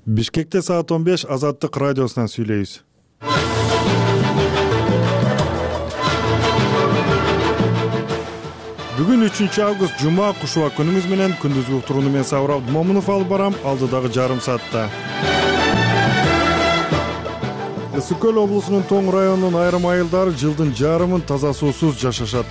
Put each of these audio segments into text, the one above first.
Бишкекте саат 15 Азаттык радиосунан сүйлөйбүз. Бүгүн 3 август жума кушуба күнүңүз менен күндүзгү уктурууну мен Сабыр Абдымомунов алып барам. Алдыдагы жарым саатта Ысык Көл облусунун Тоң районунун айрым айылдары жылдын жарымын таза суусуз жашашат.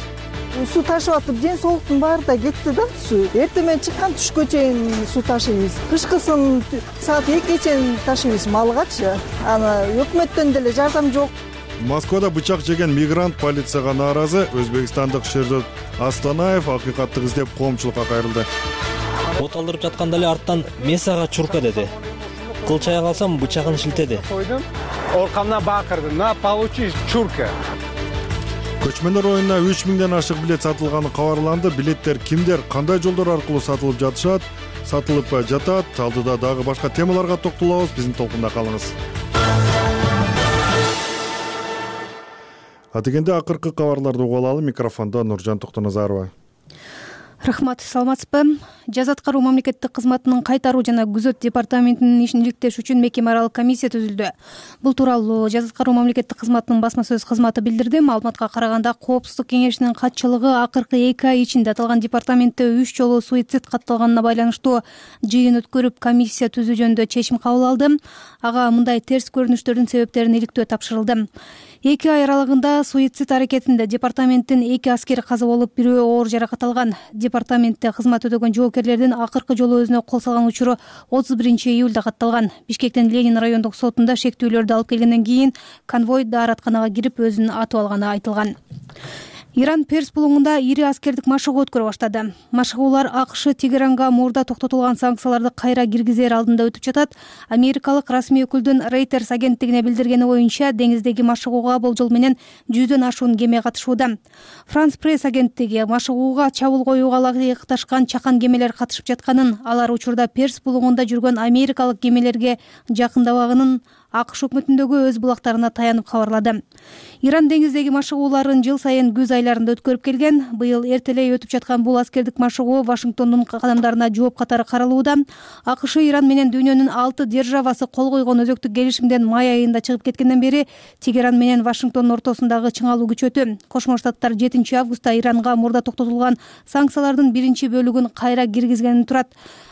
Суу ташып атып, ден соолуктун баары да кетти да суу. Эртең менен чыккан түшкө чейин суу ташыйбыз. Кышкысын саат 2ге чейин ташыйбыз малгачы. Аны өкмөттөн деле жардам жок. Москвада бычак жеген мигрант полицияга нааразы. Өзбекстандык Шердот Астанаев акыйкаттык издеп коомчулукка кайрылды. От алдырып жатканда эле арттан месага чурка деди. Кылчая калсам бычагын шилтеди. Оркамдан бакырды. На, получи чурка. Көчмөндөр оюнуна 3000ден ашык билет сатылганы кабарланды. Билеттер кимдер, кандай жолдор аркылуу сатылып жатат? Алдыда дагы башка темаларга токтолобуз. Биздин толкунда калыңыз. Атегенде акыркы кабарларды угуп алалы. Микрофондо Нуржан Токтоназарова. Рахмат, саламатсызбы? Жаза аткаруу мамлекеттик кызматынын кайтаруу жана күзөт департаментинин ишин иликтеш үчүн мекеме аралык комиссия түзүлдү. Бул тууралуу Жаза аткаруу мамлекеттик кызматынын басма сөз кызматы билдирди. Маалыматка караганда Коопсуздук кеңешинин катчылыгы акыркы 2 ай ичинде аталган департаментте 3 жолу суицид катталганына байланыштуу жыйын өткөрүп, комиссия түзүү жөнүндө чечим кабыл алды. Ага мындай терс көрүнүштөрдүн себептерин иликтөө тапшырылды. 2 ай аралыгында суицид аракетинде департаменттин 2 аскери каза болуп, бирөө оор жаракат алган. Департаментте кызмат өтөгөн жоокерлердин акыркы жолу өзүнө кол салган учуру 31-июлда катталган. Бишкектин Ленин райондук сотунда шектүүлөрдү алып келгенден кийин конвой дааратканага кирип өзүн атып алганы айтылган. Иран Перс булуңунда ири аскердик машыгуу өткөрө баштады. Машыгуулар АКШ Тегеранга мурда токтотулган санкцияларды кайра киргизер алдында өтүп жатат. Америкалык расмий өкүлдүн Reuters агенттигине билдиргени боюнча, деңиздеги машыгууга болжол менен 100дөн ашуун кеме катышууда. France Press агенттиги машыгууга чабуул коюуга ылайыкташкан чакан кемелер катышып жатканын, алар учурда Перс булуңунда жүргөн америкалык кемелерге жакындабагынын АКШ өкмөтүндөгү өз булактарына таянып кабарлады. Иран деңиздеги машыгууларын жыл сайын күз айларында өткөрүп келген. Быйыл эртелей өтүп жаткан бул аскердик машыгуу Вашингтондун кадамдарына жооп катары каралууда. АКШ Иран менен дүйнөнүн 6 державасы кол койгон өзөктүк келишимден май айында чыгып кеткенден бери Тегеран менен Вашингтондун ортосундагы чыңалуу күчөтү. Кошмо Штаттар 7 августта Иранга мурда токтотулган санкциялардын биринчи бөлүгүн кайра киргизгени турат.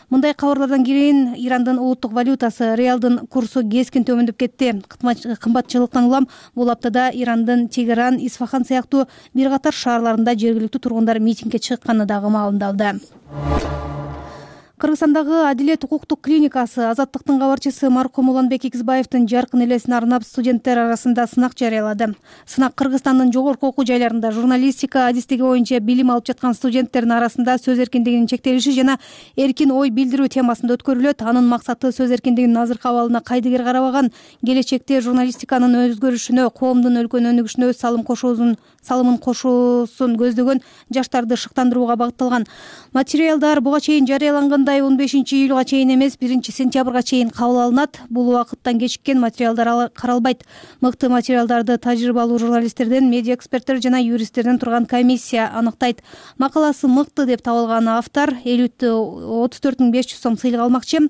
Мындай кабарлардан кийин Ирандын улуттук валютасы реалдын курсу кескин төмөндөп кетти. Кымбатчылыктан улам бул аптада Ирандын Тегеран, Исфахан сыяктуу бир катар шаарларында жергиликтүү тургундар митингге чыкканы дагы маалымдалды. Кыргызстандагы Адилет укуктук клиникасы Азаттыктын кабарчысы маркум Уланбек Игизбаевдин жаркын элесин арнап студенттер арасында сынак жарыялады. Сынак Кыргызстандын жогорку окуу жайларында журналистика адистиги боюнча билим алып жаткан студенттердин арасында сөз эркиндигинин чектелиши жана эркин ой билдирүү темасында өткөрүлөт. Анын максаты сөз эркиндигинин азыркы абалына кайдыгер карабаган, келечекте журналистиканын өзгөрүшүнө, коомдун өлкөнүн өнүгүшүнө өз салымын кошуусун көздөгөн жаштарды шыктандырууга багытталган. Материалдар буга чейин жарыялангандай 15-июлга чейин эмес, 1-сентябрга чейин кабыл алынат. Бул убакыттан кечиккен материалдар каралбайт. Мыкты материалдарды тажрыйбалуу журналисттерден, медиа эксперттер жана юристтерден турган комиссия аныктайт. Макаласы мыкты деп табылган автор 34,500 сом сыйлык алмакчы.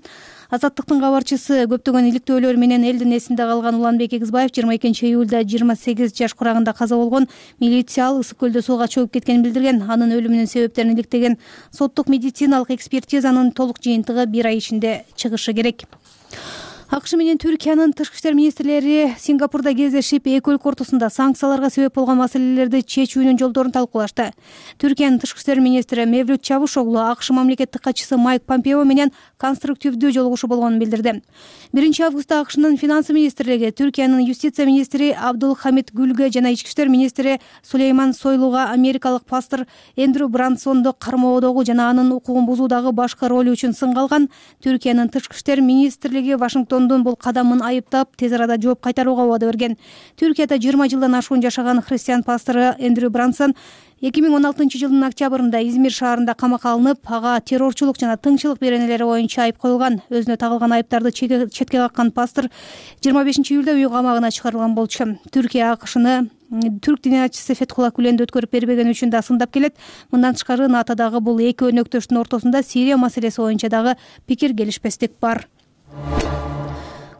Азаттыктын кабарчысы көптөгөн иликтөөлөр менен элдин эсинде калган Уланбек Игизбаев 22-июлда 28 жаш курагында каза болгон. Милиция ал Ысык Көлдө сууга чөгүп кеткенин билдирген. Анын өлүмүнүн себептерин иликтеген соттук медициналык экспертизанын толук жыйынтыгы 1 ай ичинде чыгышы керек. АКШ менен Түркиянын тышкы иштер министрлери Сингапурда кездешип, эки өлкө ортосунда санкцияларга себеп болгон маселелерди чечүүнүн жолдорун талкуулашты. Түркиянын тышкы иштер министри Мевлют Чавушоглу АКШ мамлекеттик катчысы Майк Помпео менен конструктивдүү жолугушуу болгонун билдирди. 1 августта АКШнын финансы министрлиги Түркиянын юстиция министри Абдул Хамид Гүлгө жана ички иштер министри Сулейман Сойлуга америкалык пастор Эндрю Брансонду кармоодогу жана анын укугун бузуудагы башкы ролу үчүн сынга алган. Түркиянын тышкы иштер министрлиги Вашингтондун бул кадамын айыптап, тез арада жооп кайтарууга убада берген. Түркияда 20 жылдан ашуун жашаган христиан пастору Эндрю Брансон 2016-жылдын октябрында Измир шаарында камакка алынып, ага террорчулук жана тыңчылык беренелери боюнча айып коюлган. Өзүнө тагылган айыптарды четке каккан пастор 25-июлда үй камагына чыгарылган болчу. Түркия АКШны түрк диниячысы Фетхулла Гүленди өткөрүп бербегени үчүн да сындап келет. Мындан тышкары НАТОдагы бул эки өнөктөштүн ортосунда Сирия маселеси боюнча дагы пикир келишпестик бар.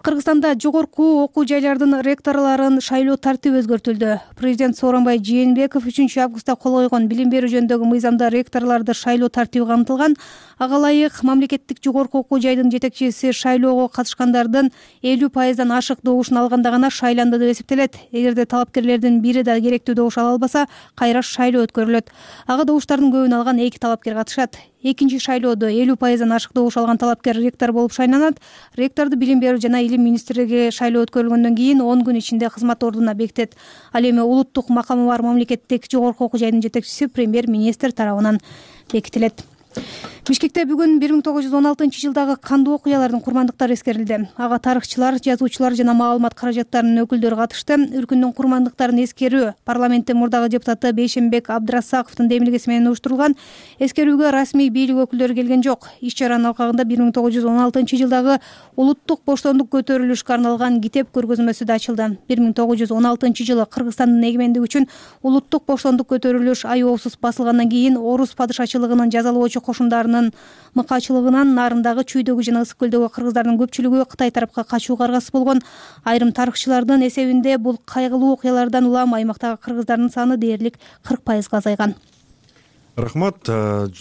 Кыргызстанда жогорку окуу жайлардын ректорлорун шайлоо тартиби өзгөртүлдү. Президент Сооронбай Жээнбеков 3-августта кол койгон билим берүү жөнүндөгү мыйзамда ректорлорду шайлоо тартиби камтылган. Ага ылайык мамлекеттик жогорку окуу жайдын жетекчиси шайлоого катышкандардын 50%дан ашык добушун алганда гана шайланды деп эсептелет. Эгерде талапкерлердин бири да керектүү добуш ала албаса, кайра шайлоо өткөрүлөт. Ага добуштардын көбүн алган 2 талапкер катышат. Экинчи шайлоодо 50%дан ашык добуш алган талапкер ректор болуп шайланат. Ректорду билим берүү жана илим министрлиги шайлоо өткөрүлгөндөн кийин 10 күн ичинде кызмат ордуна бекитет. Ал эми улуттук макамы бар мамлекеттик жогорку окуу жайдын жетекчиси премьер-министр тарабынан бекитилет. Бишкекте бүгүн 1916-жылдагы кандуу окуялардын курмандыктары эскерилди. Ага тарыхчылар, жазуучулар жана маалымат каражаттарынын өкүлдөрү катышты. Үркүндүн курмандыктарын эскерүү парламенттин мурдагы депутаты Бейшенбек Абдрасаковдун демилгеси менен уюштурулган. Эскерүүгө расмий бийлик өкүлдөрү келген жок. Иш чаранын алкагында 1916-жылдагы улуттук боштондук көтөрүлүшкө арналган китеп көргөзмөсү да ачылды. 1916-жылы Кыргызстандын эгемендиги үчүн улуттук боштондук көтөрүлүш аеосуз басылгандан кийин орус падышачылыгынын жазалоочу кошундарын мыкаачылыгынан нарындагы чүйдөгү жана ысык көлдөгү кыргыздардын көпчүлүгү Кытай тарапка качууга аргасыз болгон. Айрым тарыхчылардын эсебинде бул кайгылуу окуялардан улам аймактагы кыргыздардын саны дээрлик 40%га азайган. Рахмат.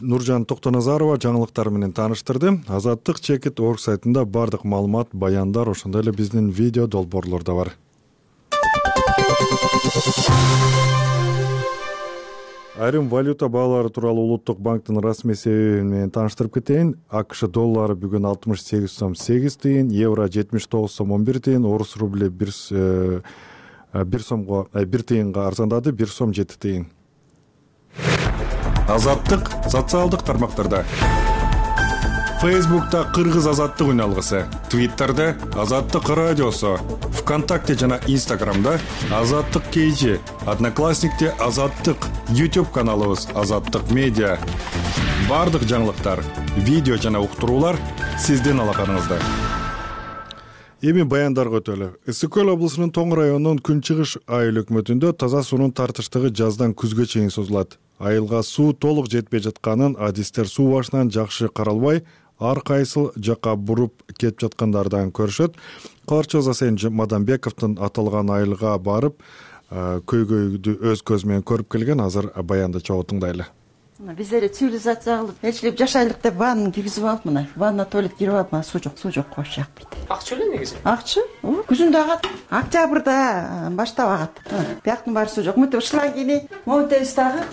Нуржан Токтоназарова жаңылыктар менен тааныштырды. Азаттык чекит орг сайтында бардык маалымат, баяндар, ошондой эле биздин видео долбоорлор да бар. Айрым валюта баалары тууралуу Улуттук банктын расмий эсеби менен тааныштырып кетейин. АКШ доллары бүгүн 68 сом 8 тыйын, евро 79 сом 11 тыйын, орус рубли 1 тыйынга арзандады, 1 сом 7 тыйын. Азаттык социалдык тармактарда. Фейсбукта Кыргыз азаттык үн алгысы, Твиттерде Азаттык радиосу, ВКонтакте жана Инстаграмда Азаттык KG, Одноклассникте Азаттык, YouTube каналыбыз Азаттык медиа. Бардык жаңылыктар, видео жана уктуруулар сиздин алаканыңызда. Эми баяндарга өтөлү. Ысык көл облусунун Тоң районунун Күнчыгыш айыл өкмөтүндө таза суунун тартыштыгы жаздан күзгө чейин созулат. Айылга суу толук жетпей жатканын адистер суу башынан жакшы каралбай, ар кайсыл жака буруп кетип жаткандардан көрүшөт. Каларчы Засен Мадамбековдун аталган айылга барып, көйгөйдү өз көзү менен көрүп келген. Азыр баянды чогуу тыңдайлы. Биздер цивилизация кылып, элчилеп жашайлык деп ваннаны киргизип алып, мына ванна туалет кирип алып, мына суу жок коюш жакпайт. Акча эле негизи. Акча? Күзүндө агат, октябрда баштап агат. Бияктын баары суу жок. Мынтип шлангини монтебиз дагы.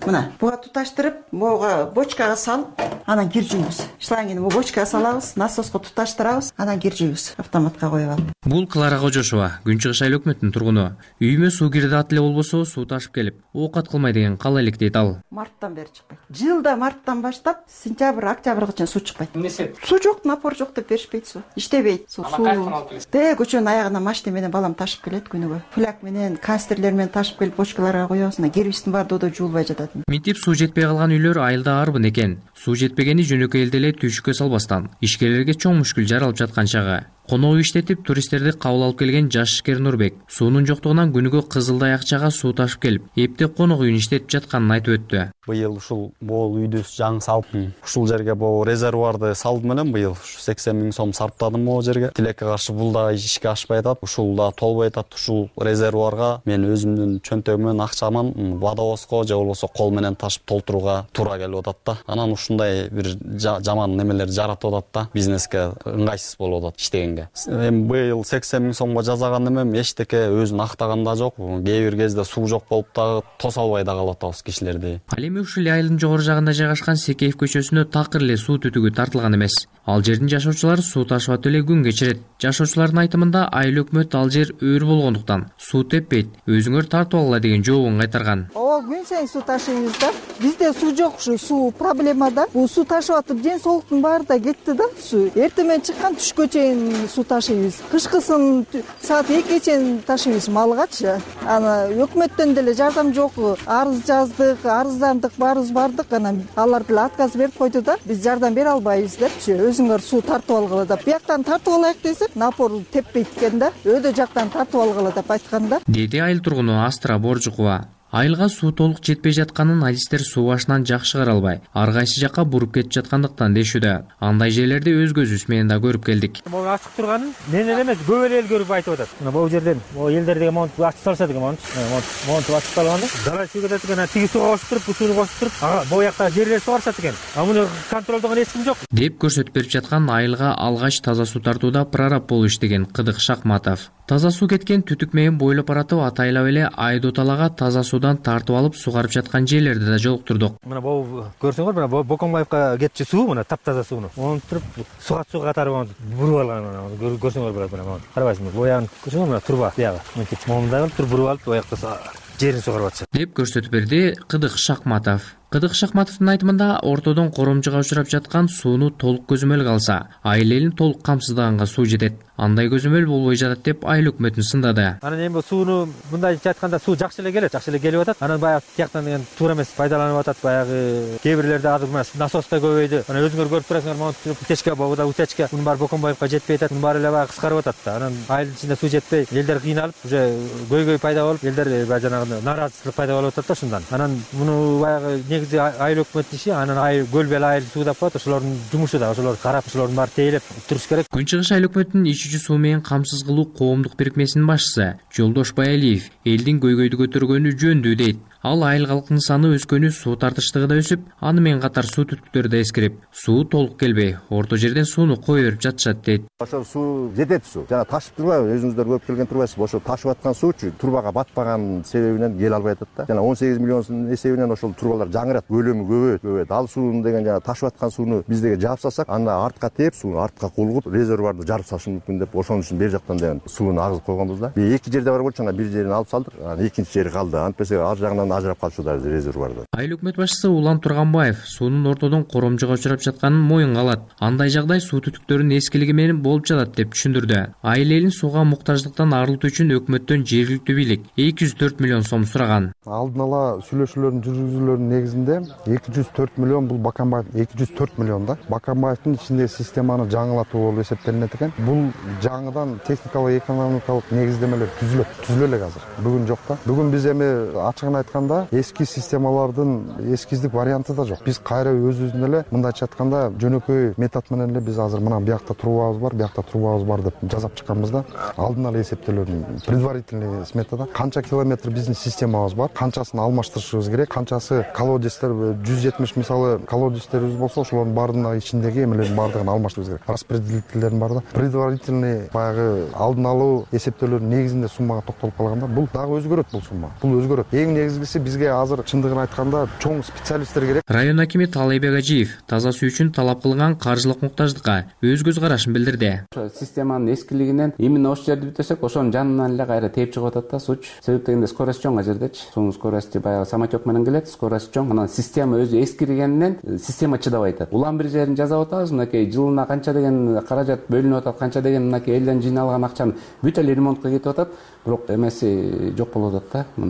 Мына буга туташтырып, буга бочкага салып, анан кир жуйбуз. Шлангини бу бочкага салабыз, насоско туташтырабыз, анан кир жуйбуз. Автоматка коюп алып. Бул Клара Кожошова, Күнчыгыш айыл өкмөтүнүн тургуну. Үйүмө суу кирди ат эле болбосо, суу ташып келип, оокат кылмай деген кала элек дейт ал. Марттан бери чыкпайт. Жылда марттан баштап сентябрь, октябрга чейин суу чыкпайт. Эмнеси? Суу жок, напор жок деп беришпейт суу. Иштебейт суу. Көчөнүн аягына машина менен балам ташып келет күнүгө. Фляг менен, канистрлер менен ташып келип бочкаларга коебуз. Кербиштин баары додо жуулбай жатат. Минтип суу жетпей калган үйлөр айылда арбын экен. Суу жетпегени жөнөкөй элде эле түйшүккө салбастан ишкерлерге чоң мушкул жаралып жаткан чагы. Конок иштетип туристтерди кабыл алып келген жаш ишкер Нурбек суунун жоктугунан күнүгө Кызылдай акчага суу ташып келип, эптеп конок үйүн иштетип жатканын айтып өттү. Быйыл ушул могул үйдү жаңы салып, ушул жерге бул резервуарды салдым менен быйыл 80 000 сом сарптадым могул жерге. Тилекке каршы бул да ишке ашпай атат, ушул да толбой атат. Ушул резервуарга мен өзүмдүн чөнтөгүмөн акчаман водовозго же болбосо кол менен ташып толтурууга туура келип атат да. Анан ушундай бир жаман немелер жаратып атат да, бизнеске ыңгайсыз болуп атат иштеген. Эми быйыл 80 000 сомго жазаган эмем эчтеке өзүн актаган да жок. Кээ бир кезде суу жок болуп дагы тоса албай да калып атабыз кишилерди. Ал эми ушул айылдын жогору жагында жайгашкан Секеев көчөсүнө такыр эле суу түтүгү тартылган эмес. Ал жердин жашоочулары суу ташып атып эле күн кечирет. Жашоочулардын айтымында айыл өкмөт ал жер өөр болгондуктан суу теппейт, өзүңөр тартып алгыла деген жообун кайтарган. Күн сайын суу ташыйбыз да. Бизде суу жок, ушу суу проблема да. Бул суу ташып атып ден соолуктун баары да кетти да. Суу эртең менен чыккан түшкө чейин суу ташыйбыз. Кышкысын саат 2-ге чейин ташыйбыз малгачы. Аны өкмөттөн деле жардам жок. Арыз жаздык, арыздандык, баарыбыз бардык. Анан алар деле отказ берип койду да. Биз жардам бере албайбыз депчи. Өзүңөр суу тартып алгыла деп. Бияктан тартып алайык десек, напор теппейт экен да. Өйдө жактан тартып алгыла деп айткан да. Деди айыл тургуну Астра Боржукова. Айылга суу толук жетпей жатканын адистер суу башынан жакшы каралбай, ар кайсы жакка буруп кетип жаткандыктан дешүүдө. Андай жерлерди өз көзүбүз менен да көрүп келдик. Могу ачык турганын менен эмес, көп эл көрүп айтып атат. Мына бул жерден, бул элдер деген монтип ачып салса деген монтип ачып салганда, дала суу кетет экен, тиги сууга кошуп туруп, бул сууну кошуп туруп, бул жакта жерлер сугарышат экен. Муну контролдогон эч ким жок. Деп көрсөтүп берип жаткан айылга алгач таза суу тартууда прораб болуп иштеген Кыдык Шакматов. Таза суу кеткен түтүк менен бойлоп баратып атайлап эле Айдоталага таза суудан тартып алып сугарып жаткан жерлерди да жолуктурдук. Мына бул көрсөңөр, мына Бокомбаевка кетчү суу, мына таптаза сууну. Onu туруп суга катары буруп алган. Көрсөңөр болот мына. Карабайсыңбы? Боягын көрсөңөр, мына турба бияга. Мынтип момундай туруп буруп алып, боякта жерин сугарып атышат. Деп көрсөтүп берди Кыдык Шакматов. Кыдык Шакматовдун айтымында ортодон коромжуга учурап жаткан сууну толук көзөмөлгө алса, айыл элин толук камсыздаганга суу жетет. Андай көзөмөл болбой жатат деп айыл өкмөтүн сындады. Анан эми сууну мындайча айтканда суу жакшы эле келип атат. Анан баягы тияктан деген туура эмес пайдаланып атат. Баягы кээ бирлерде азыр мына насос да көбөйдү. Анан өзүңөр көрүп турасыңар, могу утечка, богуда утечка. Мунун баары Бокомбаевка жетпей атат. Мунун баары эле баягы кыскарып атат да. Анан айылдын ичинде суу жетпей, элдер кыйналып, уже көйгөй пайда болуп, элдер баягы жанагы нааразычылык пайда болуп атат да ушундан. Анан муну баягы негизи айыл өкмөттүн иши, анан айыл көл бел айыл суу деп коет. Ошолордун жумушу да, ошолорду карап, ошолордун баары тейлеп туруш керек. Күн Чыгыш айыл өкмөтүнүн ичүүчү суу менен камсыз кылуу коомдук бирикмесинин башчысы Жолдош Байалиев элдин көйгөйдү көтөргөнү жөндүү дейт. Ал айыл калкынын саны өскөнү суу тартыштыгы да өсүп, аны менен катар суу түтүктөрү да эскирип, суу толук келбей, орто жерден сууну кое берип жатышат дейт. Ошол суу жетет суу. Жана ташып турбайбы? Өзүңүздөр көрүп келген турбайсызбы? Ошо ташып аткан суучу турбага батпаган себебинен келе албай атат да. Жана 18 миллион сомдун эсебинен ошол турбалар жаңырат, көлөмү көбөйөт. Ал сууну деген жана ташып аткан сууну биз деге жаап салсак, анда артка тээп, сууну артка кулгуп, резервуарды жарып салышы мүмкүн деп, ошон үчүн бер жактан деген сууну агызып койгонбуз да. Эки жерде бар болчу, бир жерин алып салдык, экинчи жери калды. Антпесе ар жагынан ажырап калчу да резервуарда. Айыл өкмөт башчысы Улан Турганбаев суунун ортодон коромжуга учурап жатканын моюнга алат. Андай жагдай суу түтүктөрүнүн эскилиги менен болуп жатат деп түшүндүрдү. Айыл элин сууга муктаждыктан арылтуу үчүн өкмөттөн жергиликтүү бийлик 204 миллион сом сураган. Алдын ала сүйлөшүүлөрдүн жүргүзүүлөрүнүн негизинде 204 миллион бул Бакамбаев 204 миллион да. Бакамбаевдин ичиндеги системаны жаңылатуу болуп эсептелинет экен. Бул жаңыдан техникалык экономикалык негиздемелер түзүлө элек азыр. Бүгүн жок да. Бүгүн биз эми ачыгын айтканда эски системалардын эскиздик варианты да жок. Биз кайра өзүбүздүн эле мындайча айтканда жөнөкөй метод менен эле биз азыр мына биякта трубабыз бар, биякта трубабыз бар деп жасап чыкканбыз да. Алдын ала эсептөөлөрдүн предварительный сметада канча километр биздин системабыз бар, канчасын алмаштырышыбыз керек, канчасы колодецтер 170 мисалы колодецтерибиз болсо, ошолордун баарынын ичиндеги эмелердин баардыгын алмаштырыбыз керек. Распределительдердин бар да. Предварительный баягы алдын алуу эсептөөлөрдүн негизинде суммага токтолуп калганда, бул дагы өзгөрөт бул сумма. Бул өзгөрөт. Эң негизгиси бизге азыр чындыгын айтканда чоң специалисттер керек. Район акими Талайбек Ажиев таза суу үчүн талап кылынган каржылык муктаждыкка өз көз карашын билдирди. Системанын эскилигинен именно ошол жерди бүтөсөк, ошонун жанынан эле кайра тээп чыгып атат да сууч. Себеп дегенде скорость чоң ажердечи. Суунун скорости баягы самотек менен келет, скорость чоң. Анан система өзү эскиргенинен система чыдабай атат. Улам бир жерин жазап атабыз, мынакей жылына канча деген каражат бөлүнүп атат, канча деген мынакей элден жыйналган акчаны бүт эле ремонтко кетип атат. Бирок эмеси жок болуп атат да.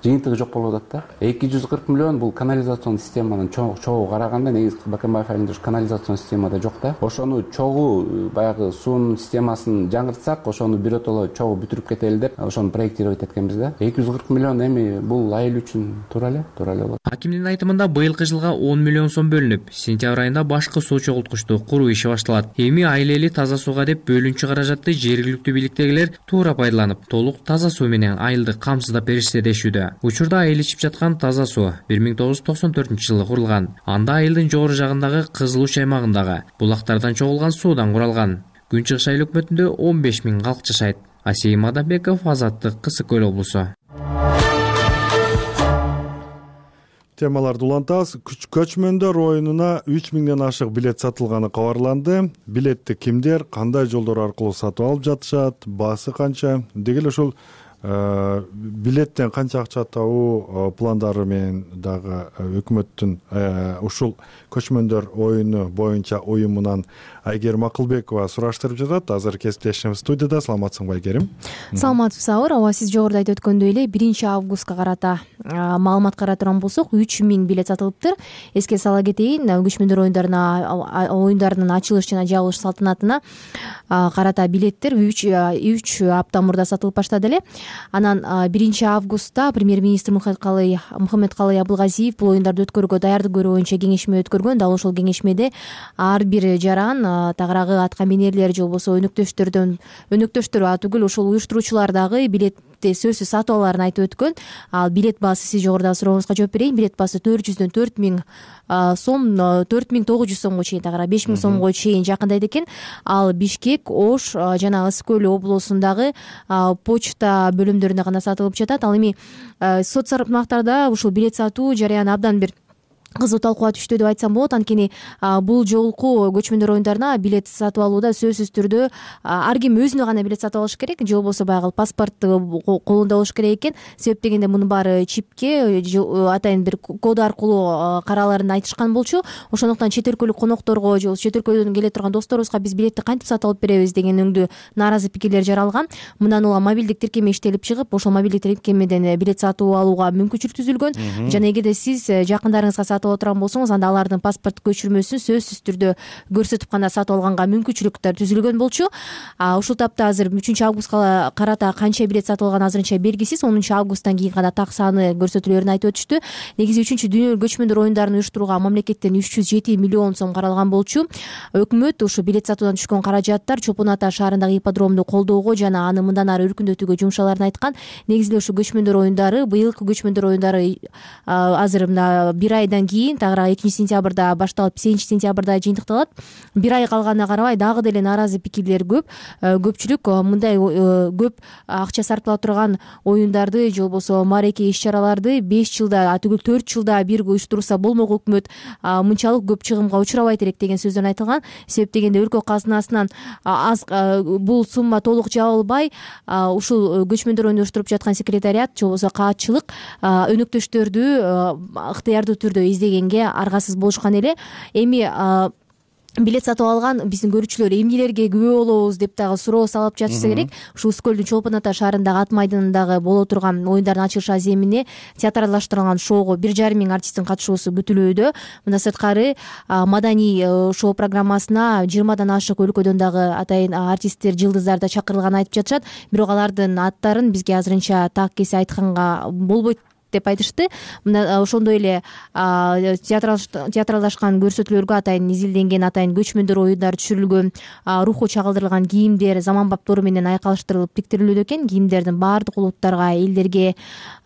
Жыйынтыгы жок болуп атат да. 240 миллион бул канализацион системанын чогуу караганда негизи Бакамбаев айылында канализацион системада жок да. Ошону чогуу баягы суунун системасын жаңыртсак, ошону биротоло чогуу бүтүрүп кетели деп ошону проектировать эткенбиз да. 240 миллион эми бул айыл үчүн туура эле болот. Акимдин айтымында быйылкы жылга 10 миллион сом бөлүнүп, сентябрь айында башкы суу чогулткучту куруу иши башталат. Эми айыл эли таза сууга деп бөлүнчү каражатты жергиликтүү бийликтегилер туура пайдаланып, толук таза суу менен айылды камсыздап беришсе дешүүдө. Учурда айыл ичип жаткан таза суу 1994-жылы курулган. Анда айылдын жогору жагындагы Кызыл Уч аймагындагы булактардан чогулган суудан куралган. Күн Чыгыш айыл өкмөтүндө 15 000 калк жашайт. Асейим Адамбеков, Азаттык, Кысык Көл облусу. Темаларды улантабыз. Көчмөндөр оюнуна 3000ден ашык билет сатылганы кабарланды. Билетти кимдер, кандай жолдор аркылуу сатып алып жатышат, баасы канча? Деги эле ошол билеттен канча акча табуу пландары менен дагы өкмөттүн ушул көчмөндөр оюну боюнча уюмунан Айгерим Акылбекова сураштырып жатат. Азыр кесиптешим студияда. Саламатсыңбы, Айгерим? Саламатсыз Сабыр. Ооба, сиз жогоруда айтып өткөндөй эле 1-августка карата маалымат карап турган болсок, 3000 билет сатылыптыр. Эске сала кетейин, көчмөндөр оюндарынын ачылыш жана жабылыш салтанатына карата билеттер 3 апта мурда сатылып баштады эле. Анан 1 августта премьер-министр Мухаммедкалый Абылгазиев бул оюндарды өткөрүүгө даярдык көрүү боюнча кеңешме өткөргөн. Дал ошол кеңешмеде ар бир жаран тагыраагы аткаминерлер же болбосо өнөктөштөр түгүл ошол уюштуруучулар дагы билетти сөзсүз сатып алаарын айтып өткөн. Ал билет баасы, сиз жогорудагы сурооңузга жооп берейин, билет баасы 400дөн 4000 сом, 4900 сомго чейин, тагыраак 5000 сомго чейин жакындайт экен. Ал Бишкек, Ош жана Ысык көл облусундагы почта бөлүмдөрүндө гана сатылып жатат. Ал эми соц тармактарда ушул билет сатуу жарыяны абдан бир кызуу талкууга түштү деп айтсам болот. Анткени бул жолку көчмөндөр оюндарына билет сатып алууда сөзсүз түрдө ар ким өзүнө гана билет сатып алыш керек, же болбосо баягы паспортту колунда болуш керек экен. Себеп дегенде мунун баары чипке атайын бир код аркылуу карааларын айтышкан болчу. Ошондуктан чет өлкөлүк конокторго же болбосо чет өлкөдөн келе турган досторубузга биз билетти кантип сатып алып беребиз деген өңдүү нааразы пикирлер жаралган. Мындан улам мобилдик тиркеме иштелип чыгып, ошол мобилдик тиркемеден билет сатып алууга мүмкүнчүлүк түзүлгөн. Жана эгерде сиз жакындарыңызга сатып алып турган болсоңуз, анда алардын паспорт көчүрмөсүн сөзсүз түрдө көрсөтүп гана сатып алганга мүмкүнчүлүктөр түзүлгөн болчу. Ушул тапта азыр 3 августка карата канча билет сатылганы азырынча белгисиз. 10 августтан кийин гана так саны көрсөтүлөрүн айтып өтүштү. Негизи 3-дүйнөлүк көчмөндөр оюндарын уюштурууга мамлекеттен 307 миллион сом каралган болчу. Өкмөт ушу билет сатуудан түшкөн каражаттар Чопон Ата шаарындагы ипподромду колдоого жана аны мындан ары өркүндөтүүгө жумшаларын айткан. Негизи ушу көчмөндөр оюндары, быйылкы көчмөндөр оюндары азыр мына 1 айдан кийин 2-сентябрда башталып 8-сентябрда жыйынтыкталат. 1 ай калганына карабай дагы деле нааразы пикирлер көп. Көпчүлүк мындай көп акча сарптала турган оюндарды же болбосо маареке иш-чараларды 5 жылда, түгүл 4 жылда бир уюштурса болмок, өкмөт мынчалык көп чыгымга учурабайт элек деген сөздөр айтылган. Себеп дегенде өлкө казынасынан аз бул сумма толук жабылбай, ушул көчмөндөр оюнду уюштуруп жаткан секретариат же болбосо каатчылык өнөктөштөрдү ыктыярдуу түрдө издегенге аргасыз болушкан эле. Эми билет сатып алган биздин көрүүчүлөр эмнелерге күбө болобуз деп дагы суроо салып жатышса керек. Ушу Ысык көлдүн Чолпон Ата шаарындагы ат майданындагы боло турган оюндардын ачылыш аземине театралдаштырылган шоуго 1,5 миң артисттин катышуусу күтүлүүдө. Мындан сырткары маданий шоу программасына 20дан ашык өлкөдөн дагы атайын артисттер, жылдыздар да чакырылганын айтып жатышат. Бирок алардын аттарын бизге азырынча так кесе айтканга болбойт деп айтышты. Мына ошондой эле театралдашкан көрсөтүүлөргө атайын изилденген, атайын көчмөндөр оюндары түшүрүлгөн, руху чагылдырылган кийимдер заманбаптоору менен айкалыштырылып тиктирилүүдө экен. Кийимдердин баардык улуттарга, элдерге,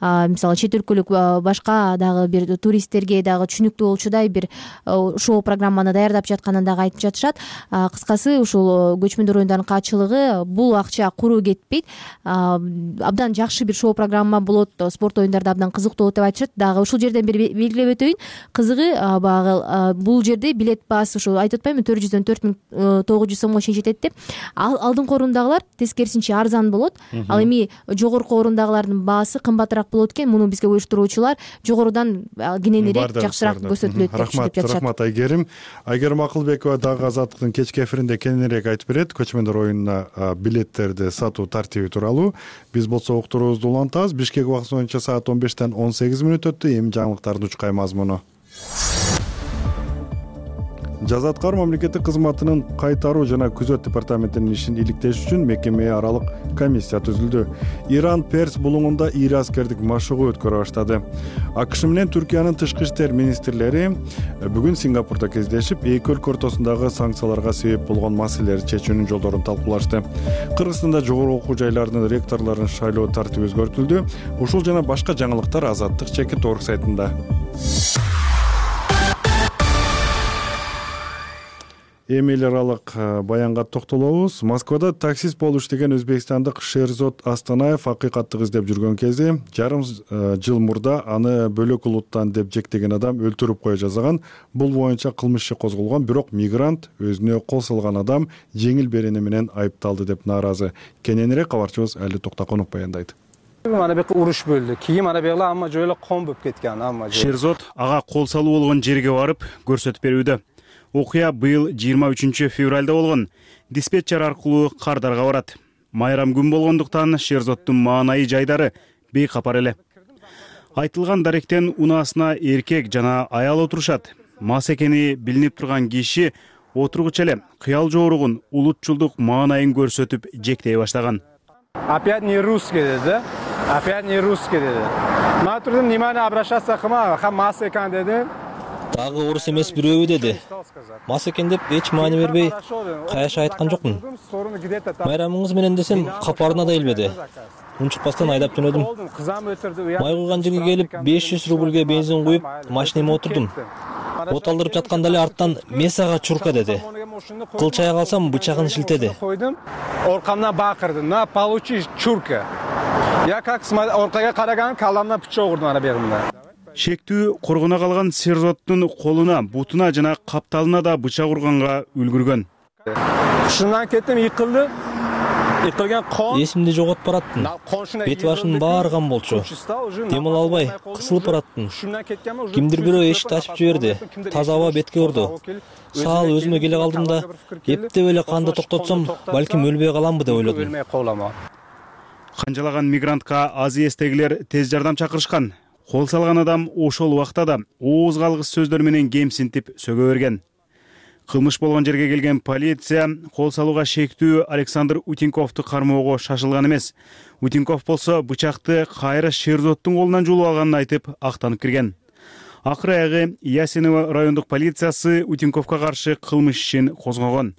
мисалы чет өлкөлүк башка дагы бир туристтерге дагы түшүнүктүү болчудай бир шоу программаны даярдап жатканын дагы айтып жатышат. Кыскасы ушул көчмөндөр оюндарынын каатчылыгы бул акча куру кетпейт. Абдан жакшы бир шоу программа болот, спорт оюндарда абдан кызыктуу болот деп айтышат. Дагы ушул жерден бир белгилеп өтөйүн. Кызыгы баягы бул жерде билет баасы ушу айтып атпаймынбы 400дөн 4900 сомго чейин жетет деп. Алдыңкы орундагылар тескерисинче арзан болот. Ал эми жогорку орундагылардын баасы кымбатыраак болот экен. Муну бизге уюштуруучулар жогорудан кененирээк жакшыраак көрсөтүлөт деп деп жатышат. Рахмат Айгерим. Айгерим Акылбекова дагы Азаттыктын кечки эфиринде кененирээк айтып берет көчмөндөр оюнуна билеттерди сатуу тартиби тууралуу. Биз болсо уктуруубузду улантабыз. Бишкек убактысы боюнча саат 15 18 мүнөт өттү. Эми жаңылыктардын учкай мазмуну. Жазаткар мамлекеттик кызматынын кайтаруу жана күзөт департаментинин ишин иликтеш үчүн мекеме аралык комиссия түзүлдү. Иран Перс булуңунда ири аскердик машыгуу өткөрө баштады. АКШ менен Түркиянын тышкы иштер министрлери бүгүн Сингапурда кездешип, эки өлкө ортосундагы санкцияларга себеп болгон маселелерди чечүүнүн жолдорун талкуулашты. Кыргызстанда жогорку окуу жайларынын ректорлорун шайлоо тартиби өзгөртүлдү. Ушул жана башка жаңылыктар Азаттык Чекит.org сайтында. Эми эл аралык баянга токтолобуз. Москвада таксист болуп иштеген өзбекстандык Шерзод Астанаев акыйкаттык издеп жүргөн кезде жарым жыл мурда аны бөлөк улуттан деп жектеген адам өлтүрүп кое жазган. Бул боюнча кылмыш иши козголгон, бирок мигрант өзүнө кол салган адам жеңил берене менен айыпталды деп нааразы. Кененирээк кабарчыбыз Али Токтаконов баяндайт. Ана бек уруш болду. Кийим ана бек амма жойло ком болуп кеткен амма. Шерзод ага кол салуу болгон жерге барып көрсөтүп берүүдө. Окуя быйыл 23 февралда болгон. Диспетчер аркылуу кардарга барат. Майрам күн болгондуктан Шерзоддун маанайы жайдары бейкапар эле. Айтылган даректен унаасына эркек жана аял отурушат. Мас экени билинип турган киши отургуча эле кыял жооругун улутчулдук маанайын көрсөтүп жектей баштаган. Опять не русский, да? опять не русский деди. Мен турдум, внимание обращаться кылма, мас экен дедим. Дагы орус эмес бирөөбү деди. Мас экен деп эч маани бербей каяша айткан жокмун. Майрамыңыз менен десем капарына да илбеди. Унчукпастан айдап жөнөдүм. Май куйган жерге келип 500 рубльге бензин куюп, машинеме отурдум. От алдырып жатканда эле арттан месага чурка деди. Кылчая калсам бычагын шилтеди. Оркамдан бакырды. На, получи чурка. Я как оркага караган каламдан пычок урдум ана бегимде. Шектүү коргоно калган Шерзоттун колуна, бутуна жана капталына да бычак урганга үлгүргөн. Шундан кеттим, йыкылды. Йыкылган кон. Эсимди жоготуп бараттым. Бет башым баарган болчу. Дем ала албай, кысылып бараттым. Кимдир бирөө эшикти ачып жиберди. Таза аба бетке урду. Саал өзүмө келе калдым да, эптеп эле канды токтотсом, балким өлбөй каламбы деп ойлодум. Канжалаган мигрантка аз эстегилер тез жардам чакырышкан. Кол салган адам ошол убакта да ооз калгыс сөздөр менен кемсинтип сөгө берген. Кылмыш болгон жерге келген полиция кол салууга шектүү Александр Утинковду кармоого шашылган эмес. Утинков болсо бычакты кайра Шерзоттун колунан жулуп алганын айтып актанып кирген. Акыры аягы Ясиново райондук полициясы Утинковго каршы кылмыш ишин козгогон.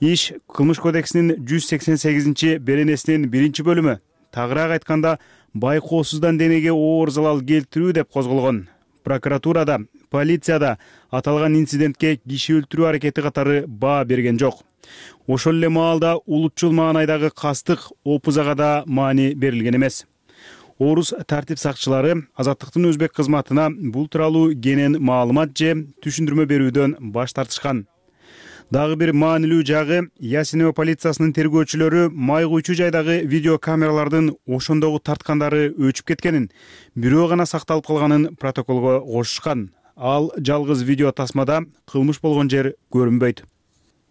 Иш Кылмыш кодексинин 188 беренесинин 1-бөлүмү. Тагыраак айтканда, байкоосуздан денеге оор залал келтирүү деп козголгон. Прокуратурада, полицияда аталган инцидентке киши өлтүрүү аракети катары баа берген жок. Ошол эле маалда улутчул маанайдагы кастык опузага да маани берилген эмес. Орус тартип сакчылары Азаттыктын өзбек кызматына бул тууралуу кенен маалымат же түшүндүрмө берүүдөн баш тартышкан. Дагы бир маанилүү жагы, Ясиново полициясынын тергөөчүлөрү май куйчу жайдагы видеокамералардын ошондогу тарткандары өчүп кеткенин, бирөө гана сакталып калганын протоколго кошушкан. Ал жалгыз видео тасмада кылмыш болгон жер көрүнбөйт.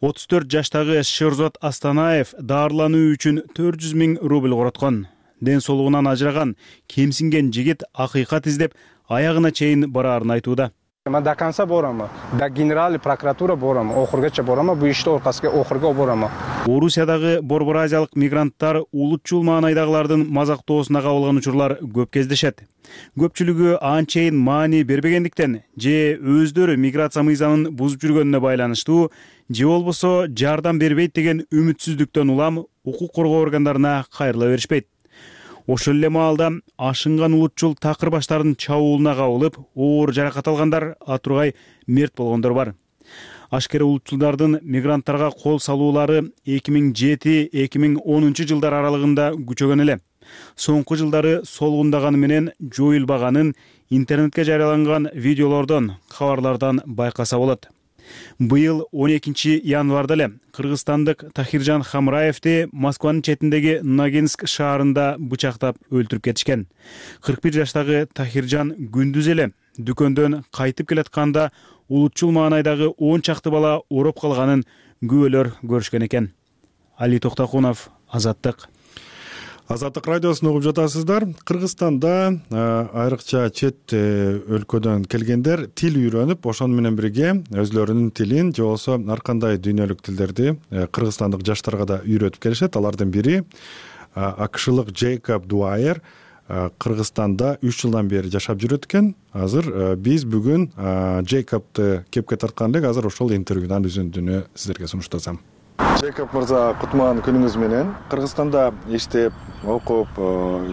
34 жаштагы Шерзот Астанаев даарылануу үчүн 400 000 рубль короткон. Ден соолугунан ажыраган, кемсинген жигит акыйкат издеп, аягына чейин бараарын айтууда. Мен до конца борам. До генеральный прокуратура борам. Охургача борам. Бу ишти оркасыга охурга борам. Орусиядагы Борбор Азиялык мигранттар улутчул маанайдагылардын мазактоосуна кабылган учурлар көп кездешет. Көпчүлүгү анчейин маани бербегендиктен же өздөрү миграция мыйзамын бузуп жүргөнүнө байланыштуу, же болбосо жардам бербейт деген үмүтсүздүктөн улам укук коргоо органдарына кайрыла беришпейт. Ошол эле маалда ашынган улутчул такыр баштардын чабуулуна кабылып, оор жаракат алгандар, атургай мерт болгондор бар. Ашкер улутчулдардын мигранттарга кол салуулары 2007-2010 жылдар аралыгында күчөгөн эле. Соңку жылдары солгундаганы менен жоюлбаганын интернетке жарыяланган видеолордон, кабарлардан байкаса болот. Быйыл 12 январда эле кыргызстандык Тахиржан Хамраевди Москванын четиндеги Ногинск шаарында бычактап өлтүрүп кетишкен. 41 жаштагы Тахиржан күндүз эле дүкөндөн кайтып келатканда улутчул маанайдагы 10 чакты бала ороп калганын күбөлөр көрүшкөн экен. Али Токтокунов, Азаттык. Азаттык радиосун угуп жатасыздар. Кыргызстанда айрыкча чет өлкөдөн келгендер тил үйрөнүп, ошону менен бирге өзлөрүнүн тилин же болбосо ар кандай дүйнөлүк тилдерди кыргызстандык жаштарга да үйрөтүп келишет. Алардын бири акшылык Джейкоб Дуайер Кыргызстанда 3 жылдан бери жашап жүрөт экен. Азыр биз бүгүн Джейкобду кепке тарткан элек. Азыр ошол интервьюдан үзүндүнү сиздерге сунуштасам. Джейкоб мырза, кутман күнүңүз менен. Кыргызстанда иштеп, окуп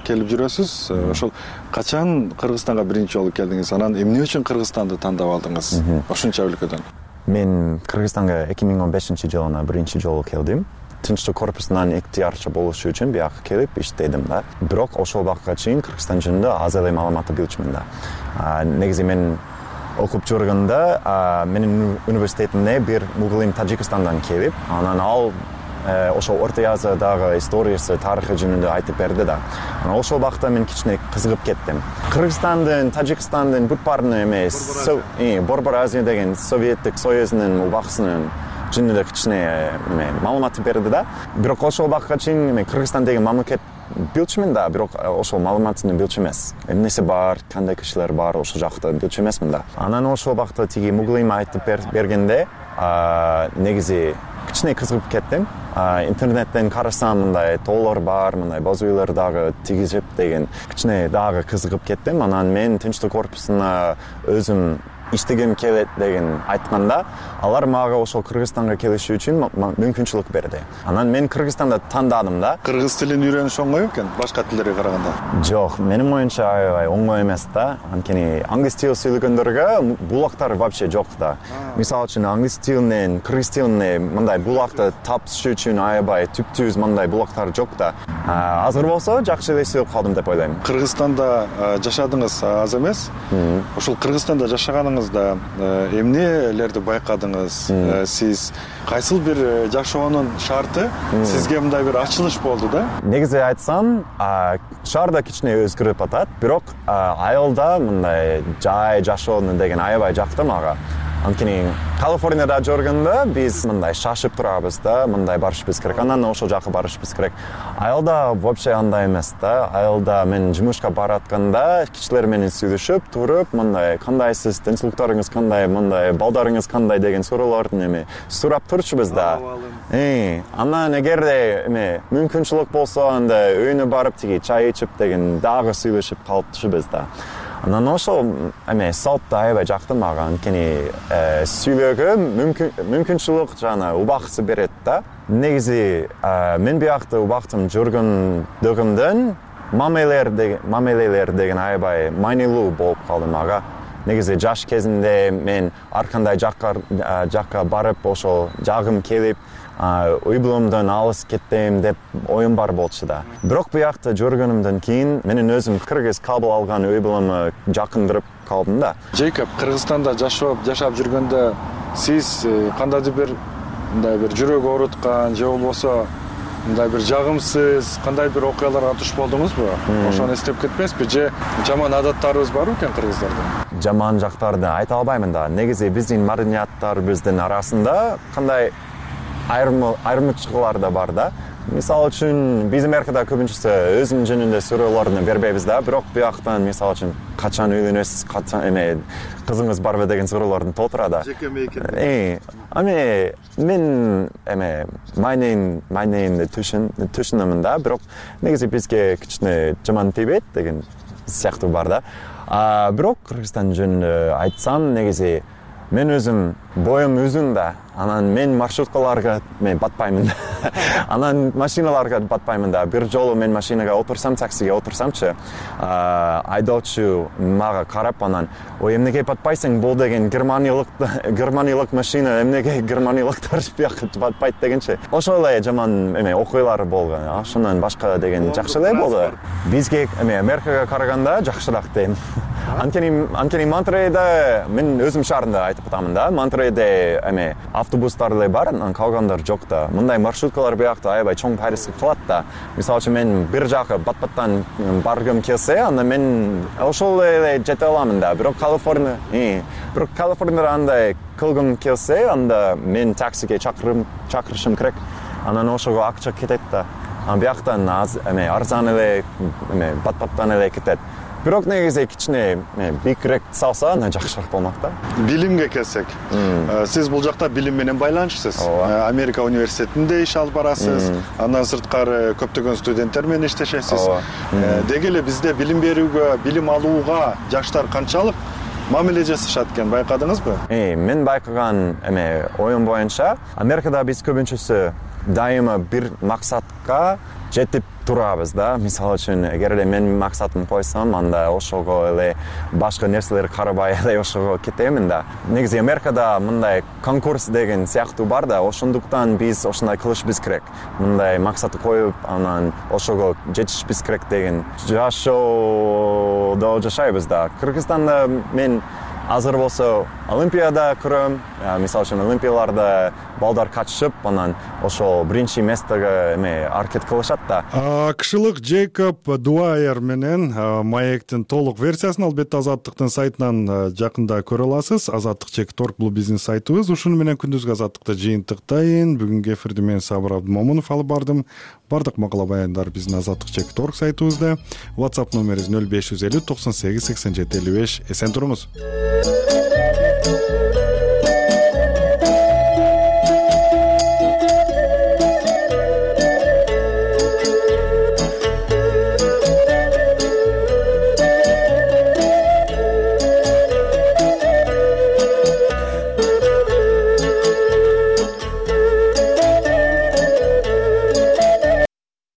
келип жүрөсүз. Ошол качан Кыргызстанга биринчи жолу келдиңиз? Анан эмне үчүн Кыргызстанды тандап алдыңыз? Ошонча өлкөдөн. Мен Кыргызстанга 2015-жылы биринчи жолу келдим. Тынчтык корпусунан ыктыярчы болушу үчүн бияка келип иштедим да. Бирок ошол убакытка чейин Кыргызстан жөнүндө аз эле маалыматты билчүмүн да. Негизи мен окуп жүргөндө менин университетимде бир мугалим Тажикстандан келип, анан ал ошол Орто Азиядагы историясы, тарыхы жөнүндө айтып берди да. Анан ошол убакта мен кичине кызыгып кеттим. Кыргызстандын, Тажикстандын бүт баарын эмес, Борбор Азия деген Советтик Союзунун убакысынын жөнүндө кичине маалымат берди да. Бирок ошол убакытка чейин мен Кыргызстан деген мамлекет билчүмүн да, бирок ошол маалыматын билчү эмес. Эмнеси бар, кандай кишилер бар, ошол жакта билчү эмесмин да. Анан ошол убакта тиги мугалим айтып бергенде, негизи кичине кызыгып кеттим. Интернеттен карасам, мындай тоолор бар, мындай боз үйлөр дагы тигизип деген кичине дагы кызыгып кеттим. Анан мен тынчтык корпусуна өзүм иштегим келет деген айтканда, алар мага ошол Кыргызстанга келиши үчүн мүмкүнчүлүк берди. Анан мен Кыргызстанды тандадым да. Кыргыз тилин үйрөнүш оңой экен башка тилдерге караганда? Жок, менин оюмча аябай оңой эмес да. Анткени англис тил сүйлөгөндөргө булактар вообще жок да. Мисалы үчүн англис тилинен кыргыз тилине мындай булакты тапыш үчүн аябай түптүүз мындай булактар жок да. Азыр болсо жакшы эле сүйлөп калдым деп ойлойм. Кыргызстанда жашадыңыз аз эмес. Ошол Кыргызстанда жашаганыңызда эмнелерди байкадыңыз? Сиз кайсыл бир жашоонун шарты сизге мындай бир ачылыш болду да? Негизи айтсам, шаарда кичине өзгөрүп атат, бирок айылда мындай жай жашоону деген аябай жакты мага. Анткени Калифорнияда жүргөндө биз мындай шашып турабыз да, мындай барышыбыз керек, анан ошол жака барышыбыз керек. Айылда вообще андай эмес да. Айылда мен жумушка баратканда кишилер менен сүйлөшүп туруп, мындай кандайсыз, тынчтыктарыңыз кандай, мындай балдарыңыз кандай деген суроолорду сурап турчубуз да. Анан эгерде мүмкүнчүлүк болсо, анда өйүнө барып тиги чай ичип деген дагы сүйлөшүп калчубуз да. Анан ошол салт аябай жакты мага, анткени сүйлөөгө мүмкүнчүлүк жана убакыт берет да. Негизи мен биякта убактым жүргөндөгүмдөн мамилелер деген аябай маанилүү болуп калды мага. Негизи жаш кезимде мен ар кандай жакка барып ошол жагым келип, үй булумдан алыс кеттем деп оюм бар болчу да. Бирок биякта жүргөнүмдөн кийин менин өзүм кыргыз кабыл алган үй булуму жакындырып калдым да. Джейкоб, Кыргызстанда жашап жүргөндө сиз кандайдыр бир мындай бир жүрөк ооруткан же болбосо мындай бир жагымсыз кандай бир окуяларга туш болдуңузбу? Ошону эстеп кетпесизби? Же жаман адаттарыбыз барбы экен кыргыздарда? Жаман жактарды айта албаймын да. Негизи биздин маданияттарыбыздын арасында кандай айырмачылыктар да бар да. Мисалы үчүн биз Америкада көбүнчөсү өзүм жөнүндө суроолорду бербейбиз да, бирок бияктан мисалы үчүн качан үйлөнөсүз, качан кызыңыз барбы деген суроолорду толтура да. Мен майнейимди түшүнөмүн да, бирок негизи бизге кичине жаман тийбейт деген сыяктуу бар да. Бирок Кыргызстан жөнүндө айтсам, негизи мен өзүм боюм uzun да. Анан мен маршруткаларга батпаймын да. Анан машиналарга батпаймын да. Бир жолу мен машинага отурсам, таксиге отурсамчы, айдоочу мага карап анан, "Ой, эмнеге батпайсың? Бул деген германиялык машина, эмнеге германиялыктар бияка батпайт" дегенчи. Ошол эле жаман окуялар болгон. Ошондон башка деген жакшы эле болду. Бизге Америкага караганда жакшыраак дейм. Анткени Монтерейде мен өзүм шаарында айтып атамын да. Монтерейде автобустар эле бар, анан калгандар жок да. Мындай маршруткалар биякта аябай чоң пайрызга калат да. Мисалы үчүн мен бир жака бат-баттан баргым келсе, анда мен ошол эле жете аламын да. Бирок Калифорнияда андай кылгым келсе, анда мен таксиге чакырышым керек. Анан ошого акча кетет да. Бияктан арзан эле бат-баттан эле кетет. Бирок негизи кичине бийикирээк салса, анда жакшыраак болмок да. Билимге келсек, сиз бул жакта билим менен байланышсыз. Америка университетинде иш алып барасыз, андан сырткары көптөгөн студенттер менен иштешесиз. Деги эле бизде билим берүүгө, билим алууга жаштар канчалык мамиле жасашат экен, байкадыңызбы? Мен байкаган оюм боюнча, Америкада биз көбүнчөсү дайыма бир максатка жетип турабыз да. Мисалы үчүн, эгерде мен максатым койсом, анда ошого эле башка нерселер карабай эле ошого кетемин да. Негизи Америкада мындай конкурс деген сыяктуу бар да, ошондуктан биз ошондой кылышыбыз керек. Мындай максат коюп, анан ошого жетишибиз керек деген жашоодо жашайбыз да. Кыргызстанда мен азыр болсо Олимпияда көрөм. Мисалы үчүн Олимпияларда балдар катышып, анан ошол биринчи местага аракет кылышат да. Акшылык Джейкоб Дуайер менен маектин толук версиясын албетте Азаттыктын сайтынан жакында көрө аласыз. Азаттык.org бул биздин сайтыбыз. Ушуну менен күндүзгү Азаттыкты жыйынтыктайын. Бүгүнкү эфирди мен Сабыр Абдымомунов алып бардым. Бардык макала баяндар биздин Азаттык.org сайтыбызда. WhatsApp номерибиз 0550 98 87 55. Эсен туруңуз.